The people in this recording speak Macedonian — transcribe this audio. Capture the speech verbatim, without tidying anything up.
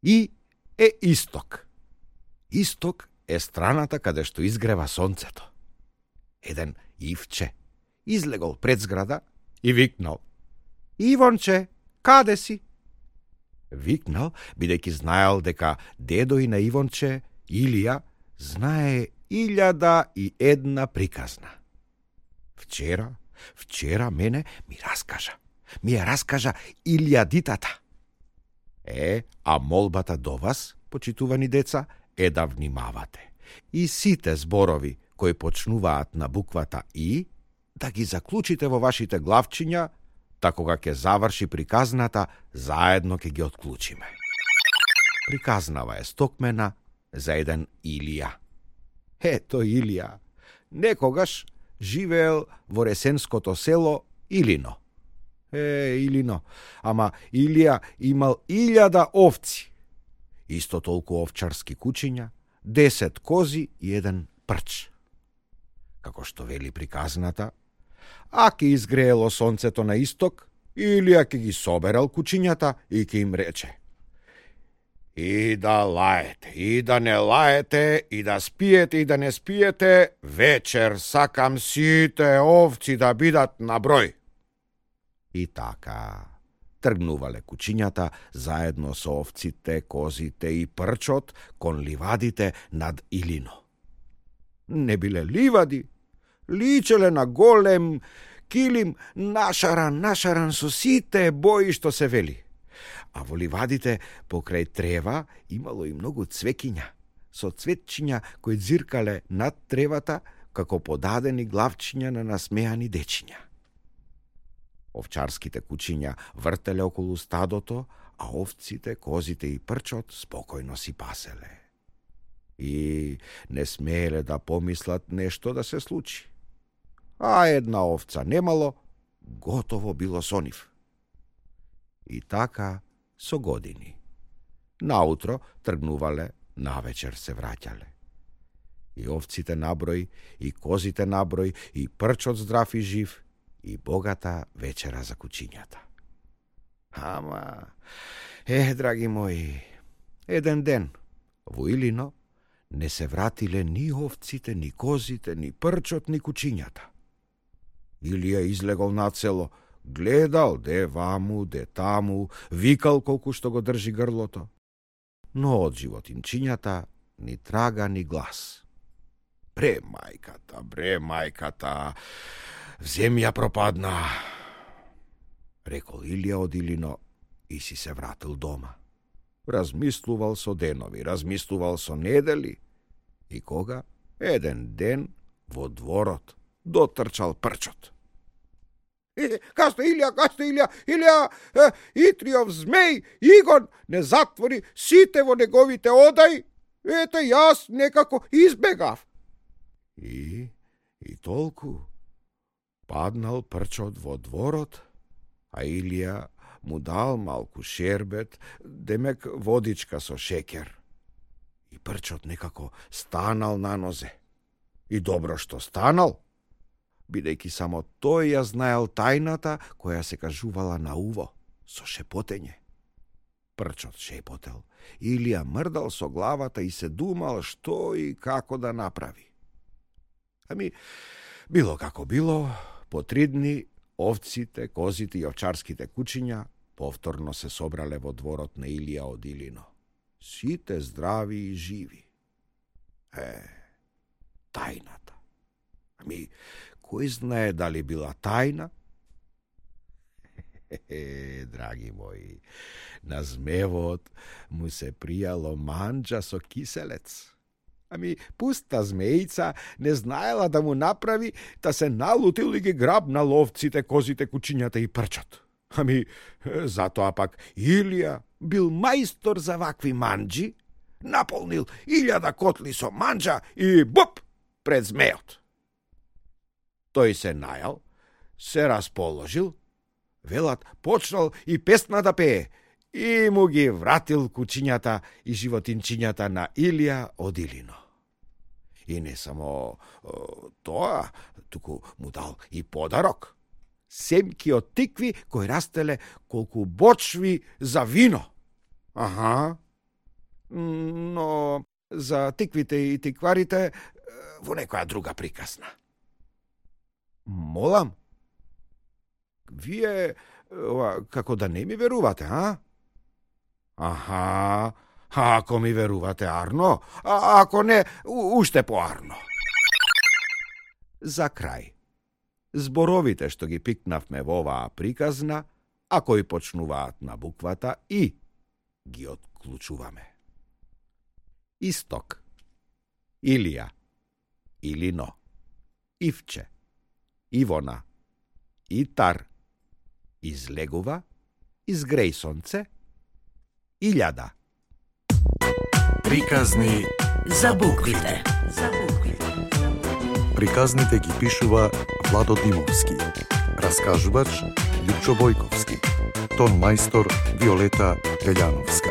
И е исток. Исток е страната каде што изгрева сонцето. Еден ивче излегол пред зграда и викнал: Ивонче, каде си? Викнал, бидејќи знаел дека дедо и на Ивонче, Илија, знае илјада и една приказна. Вчера, вчера мене ми раскажа. Ми ја раскажа илјадитата. Е, а молбата до вас, почитувани деца, е да внимавате. И сите зборови кои почнуваат на буквата И, да ги заклучите во вашите главчиња, та кога ќе заврши приказната, заедно ќе ги отклучиме. Приказнава е стокмена за еден Илија. Ето Илија, некогаш живеел во ресенското село Илино. Е, Илино, ама Илија имал илјада овци, исто толку овчарски кучиња, десет кози и еден прч. Како што вели приказната, а ке изгреело сонцето на исток, Илија ке ги соберал кучињата и ке им рече: И да лаете, и да не лаете, и да спиете, и да не спиете, вечер сакам сите овци да бидат на број. И така тргнувале кучињата заедно со овците, козите и прчот кон ливадите над Илино. Не биле ливади, личеле на голем килим, нашаран, нашаран со сите бои што се вели. А во ливадите покрај трева имало и многу цвекиња, со цветчиња кои дзиркале над тревата како подадени главчиња на насмеани дечиња. Овчарските кучиња вртеле околу стадото, а овците, козите и прчот спокојно си паселе. И не смееле да помислат нешто да се случи. А една овца немало, готово било со нив. И така со години. Наутро тргнувале, навечер се враќале. И овците наброј, и козите наброј, и прчот здрав и жив, и богата вечера за кучињата. Ама, е, драги мои, еден ден во Илино не се вратиле ни овците, ни козите, ни прчот, ни кучињата. Илија излегол на село, гледал де ваму, де таму, викал колку што го држи грлото, но од животинчињата ни трага, ни глас. Бре, мајката, бре, мајката, земја пропадна, рекол Илија од Илино и си се вратил дома. Размислувал со денови, размислувал со недели и кога еден ден во дворот дотрчал прчот. Е, каста Илија, каста Илија, Илија, е, Итриов змеј, Игон не затвори сите во неговите одај, ете јас некако избегав. И, и толку паднал прчот во дворот, а Илија му дал малку шербет, демек водичка со шекер. И прчот некако станал на нозе. И добро што станал, бидејќи само тој ја знаел тајната која се кажувала на уво, со шепотење. Прчот шепотел, Илија мрдал со главата и се думал што и како да направи. Ами, било како било, по три дни овците, козите и овчарските кучиња повторно се собрале во дворот на Илија од Илино. Сите здрави и живи. Е, тајната. Ами, кој знае дали била тајна? Е, драги мои, на змевот му се пријало манџа со киселец. Ами, пуста змеица не знаела да му направи, та се налутил и ги грабнал овците, козите, кучињата и прчот. Ами, затоа пак Илија бил мајстор за вакви манџи, наполнил илјада котли со манџа и буп пред змеот. Тој се најал, се расположил, велат почнал и песна да пее, и му ги вратил кучињата и животинчињата на Илија од Илино. И не само о, тоа, туку му дал и подарок. Семки од тикви кои растеле колку бочви за вино. Аха, но за тиквите и тикварите во некоја друга приказна. Молам? Вие ова, како да не ми верувате, а? Аха, ако ми верувате арно, а ако не, уште поарно. За крај, зборовите што ги пикнавме во оваа приказна, а кои почнуваат на буквата И, ги отклучуваме. Исток, Илија, Илино, Ивче, Ивона, Итар, излегува, изгреј сонце, илјада. Приказни за буквите. За буквите. Приказните ги пишува Владо Димовски. Раскажувач Лјупчо Бојковски. Тон мајстор Виолета Гаљановска.